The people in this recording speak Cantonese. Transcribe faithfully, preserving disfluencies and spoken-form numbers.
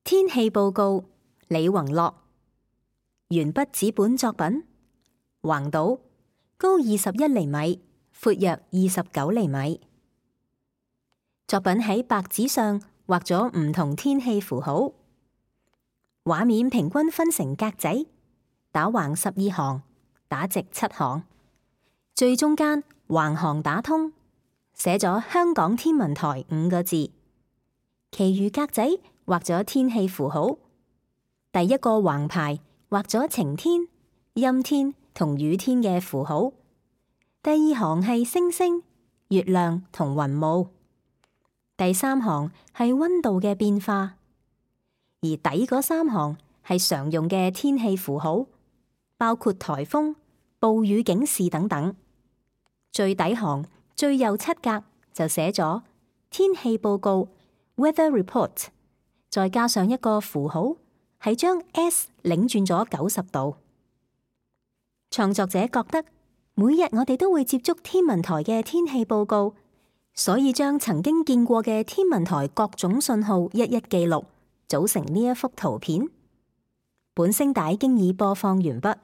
天氣報告，李宏樂。鉛筆紙本作品，橫島，高二十一厘米，闊約二十九厘米。作品喺白紙上畫咗唔同天氣符號，畫面平均分成格仔，打橫十二行，打直七行，最中間橫行打通，寫咗香港天文台五個字，其餘格仔畫咗天氣符號。第一個橫排畫咗晴天、陰天同雨天嘅符號。第二行係星星、月亮同雲霧。第三行係溫度嘅變化，而底嗰三行係常用嘅天氣符號，包括颱風、暴雨警示等等。最底行最右七格就寫咗天氣報告 （Weather Report），再加上一個符號，係將 S 擰轉咗九十度。創作者覺得每日我哋都會接觸天文台嘅天氣報告，所以將曾經見過嘅天文台各種信號一一記錄，組成呢一幅圖片。本聲帶經已播放完畢。